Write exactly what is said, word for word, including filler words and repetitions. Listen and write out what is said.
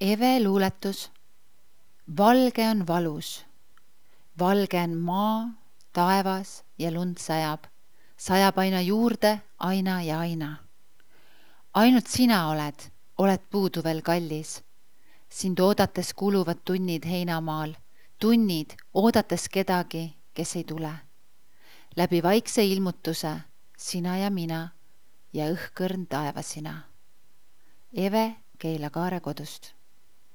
Eve luuletus. Valge on valus. Valge on maa, taevas ja lund sajab. Sajab aina juurde, aina ja aina. Ainult sina oled, oled puudu veel kallis. Sind oodates kuluvad tunnid heinamaal. Tunnid oodates kedagi, kes ei tule. Läbi vaikse ilmutuse, sina ja mina ja õhkõrn taevasina. Eve Keila Kaare kodust.